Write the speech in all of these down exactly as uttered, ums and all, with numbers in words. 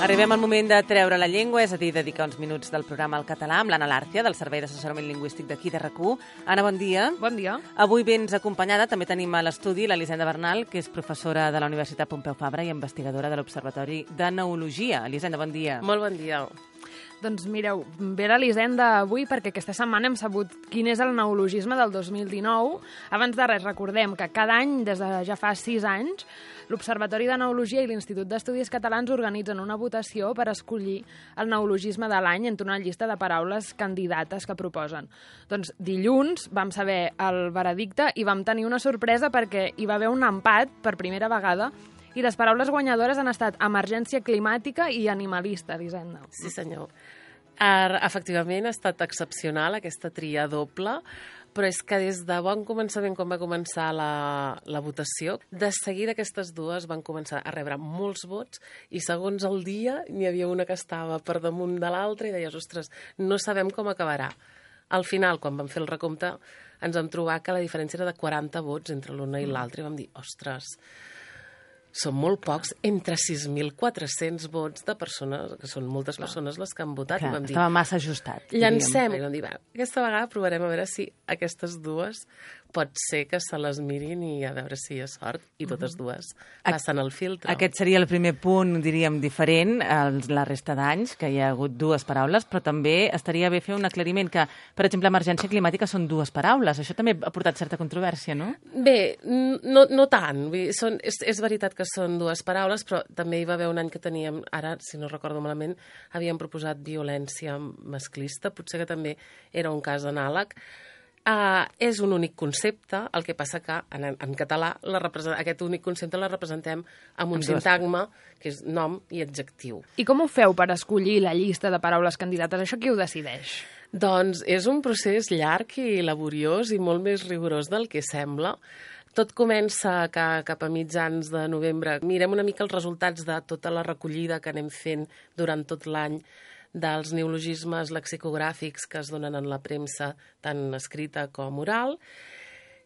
Arribem al moment de treure la llengua, és a dir, dedicar uns minuts del programa al català amb l'Anna Lárcia, del Servei d'Assessorament Lingüístic d'aquí de R A C u. Anna, bon dia. Bon dia. Avui vens acompanyada, també tenim a l'estudi l'Elisenda Bernal, que és professora de la Universitat Pompeu Fabra i investigadora de l'Observatori de Neologia. Elisenda, bon dia. Molt bon dia. Doncs mireu, ve l'Elisenda avui perquè aquesta setmana hem sabut quin és el neologisme del dos mil dinou. Abans de res, recordem que cada any, des de ja fa sis anys, l'Observatori de Neologia i l'Institut d'Estudis Catalans organitzen una votació per escollir el neologisme de l'any entre una llista de paraules candidates que proposen. Doncs dilluns vam saber el veredicte i vam tenir una sorpresa perquè hi va haver un empat per primera vegada i les paraules guanyadores han estat emergència climàtica i animalista, Elisenda. Sí, senyor. Ar, efectivament, ha estat excepcional aquesta tria doble, però és que des de bon començament, quan va començar la, la votació, de seguida aquestes dues van començar a rebre molts vots i segons el dia n'hi havia una que estava per damunt de l'altra i deies, ostres, no sabem com acabarà. Al final, quan vam fer el recompte, ens vam trobar que la diferència era de quaranta vots entre l'una i l'altra i vam dir, ostres, són molt pocs, entre sis mil quatre-cents vots de persones, que són moltes persones les que han votat. Clar, i vam dir, estava massa ajustat. llancem. I vam dir, va, aquesta vegada provarem a veure si aquestes dues pot ser que se les mirin i a veure si hi ha sort. I totes dues passen el filtre. Aquest seria el primer punt, diríem, diferent a la resta d'anys, que hi ha hagut dues paraules, però també estaria bé fer un aclariment que, per exemple, emergència climàtica són dues paraules. Això també ha portat certa controvèrsia, no? Bé, no, no tant. Vull dir, són, és, és veritat que són dues paraules, però també hi va haver un any que teníem, ara, si no recordo malament, havíem proposat violència masclista, potser que també era un cas anàleg. Uh, és un únic concepte, el que passa que en, en català la aquest únic concepte la representem amb un sintagma, que és nom i adjectiu. I com ho feu per escollir la llista de paraules candidates? Això qui ho decideix? Doncs és un procés llarg i laboriós i molt més rigorós del que sembla. Tot comença que cap a mitjans de novembre mirem una mica els resultats de tota la recollida que anem fent durant tot l'any dels neologismes lexicogràfics que es donen en la premsa, tant escrita com oral,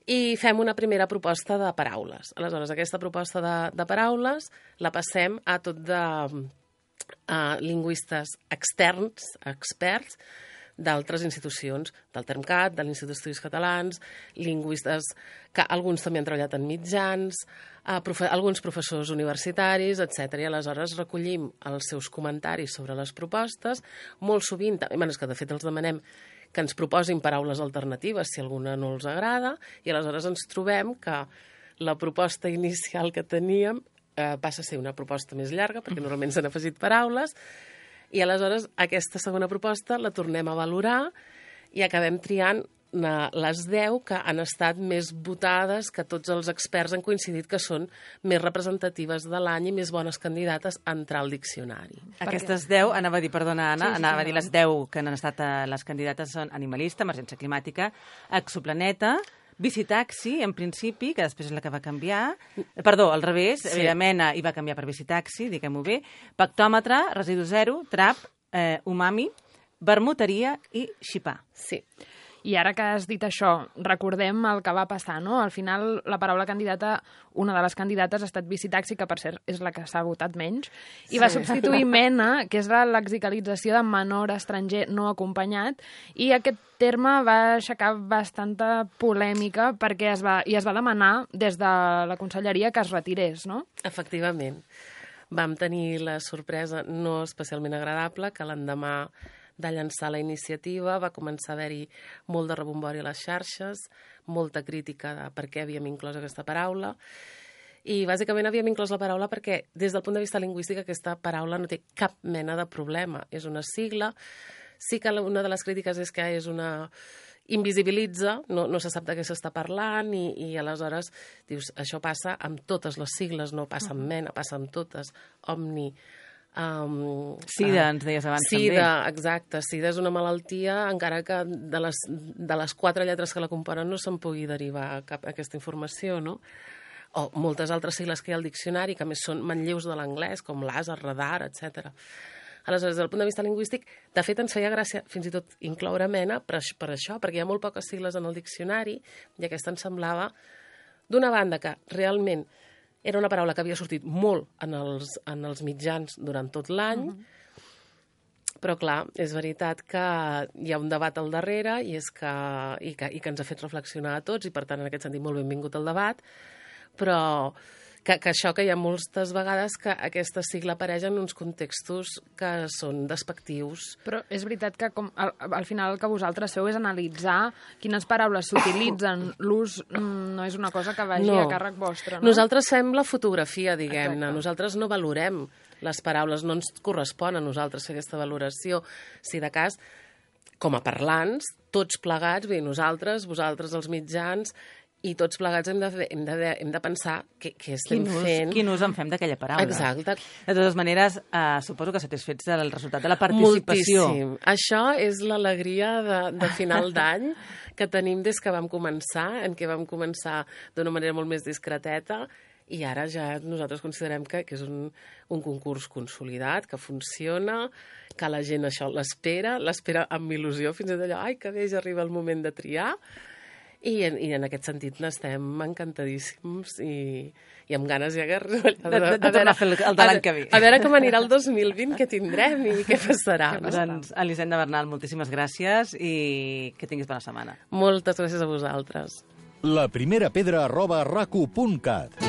i fem una primera proposta de paraules. Aleshores, aquesta proposta de, de paraules la passem a tot de uh, lingüistes externs, experts, d'altres institucions, del Termcat, de l'Institut d'Estudis Catalans, lingüistes que alguns també han treballat en mitjans, eh, profe alguns professors universitaris, etcètera. I aleshores recollim els seus comentaris sobre les propostes. Molt sovint, bueno, és que de fet els demanem que ens proposin paraules alternatives si alguna no els agrada, i aleshores ens trobem que la proposta inicial que teníem eh, passa a ser una proposta més llarga, perquè normalment s'han afegit paraules, i aleshores aquesta segona proposta la tornem a valorar i acabem triant les deu que han estat més votades, que tots els experts han coincidit que són més representatives de l'any i més bones candidates a entrar al diccionari. Aquestes deu, anava a dir, perdona Anna, sí, sí, anava a dir les deu que han estat les candidates són animalista, emergència climàtica, exoplaneta, bicitaxi, en principi, que després és la que va canviar. Perdó, al revés, sí. Mena i va canviar per bicitaxi, diguem-ho bé. Pactòmetre, residu zero, trap, eh, umami, vermuteria i xipar. Sí. I ara que has dit això, recordem el que va passar, no? Al final, la paraula candidata, una de les candidates ha estat bicitaxi, que per cert és la que s'ha votat menys, i sí. Va substituir mena, que és la lexicalització de menor estranger no acompanyat, i aquest terme va aixecar bastanta polèmica perquè es va, i es va demanar des de la conselleria que es retirés, no? Efectivament. Vam tenir la sorpresa no especialment agradable que l'endemà de llançar la iniciativa va començar a haver-hi molt de rebombori a les xarxes, molta crítica de per què havíem inclòs aquesta paraula, i bàsicament havíem inclòs la paraula perquè des del punt de vista lingüístic aquesta paraula no té cap mena de problema. És una sigla, sí que una de les crítiques és que és una invisibilitza, no, no se sap de què s'està parlant i, i aleshores dius, això passa amb totes les sigles, no passa amb mena, passa amb totes, omni. Um, Sida, uh, ens deies abans sida, també. Sida, exacte. Sida és una malaltia, encara que de les, de les quatre lletres que la componen no se'n pugui derivar cap aquesta informació, no? O moltes altres sigles que hi ha al diccionari, que més són manlleus de l'anglès, com làser, radar, etcètera. Aleshores, des del punt de vista lingüístic, de fet ens feia gràcia fins i tot incloure mena per, per això, perquè hi ha molt poques sigles en el diccionari i aquesta ens semblava, d'una banda, que realment era una paraula que havia sortit molt en els, en els mitjans durant tot l'any, uh-huh. però clar, és veritat que hi ha un debat al darrere i, és que, i, que, i que ens ha fet reflexionar a tots, i per tant, en aquest sentit, molt benvingut al debat, però que, que això que hi ha moltes vegades que aquesta sigla apareix en uns contextos que són despectius. Però és veritat que com, al, al final el que vosaltres feu és analitzar quines paraules s'utilitzen. L'ús mm, no és una cosa que vagi no. a càrrec vostre, no? Nosaltres fem la fotografia, diguem-ne. Exacte. Nosaltres no valorem les paraules, no ens correspon a nosaltres fer aquesta valoració. Si de cas, com a parlants, tots plegats, bé, nosaltres, vosaltres els mitjans, i tots plegats hem de, hem de, hem de pensar què, què estem quin ús, fent. Quin ús en fem d'aquella paraula. Exacte. De totes maneres, eh, suposo que satisfets del resultat de la participació. Moltíssim. Això és l'alegria de, de final d'any que tenim des que vam començar, en què vam començar d'una manera molt més discreteta, i ara ja nosaltres considerem que, que és un, un concurs consolidat, que funciona, que la gent això l'espera, l'espera amb il·lusió, fins i tot allò, ai, que bé, ja arriba el moment de triar. I en, i en aquest sentit n'estem encantadíssims i, i amb ganes ja que... De, de, de, de tornar a fer el, el de l'any que ve. A veure com anirà el dos mil vint, què tindrem i què passarà. No? Doncs, Elisenda Bernal, moltíssimes gràcies i que tinguis bona setmana. Moltes gràcies a vosaltres. La primera pedra arroba racu punt cat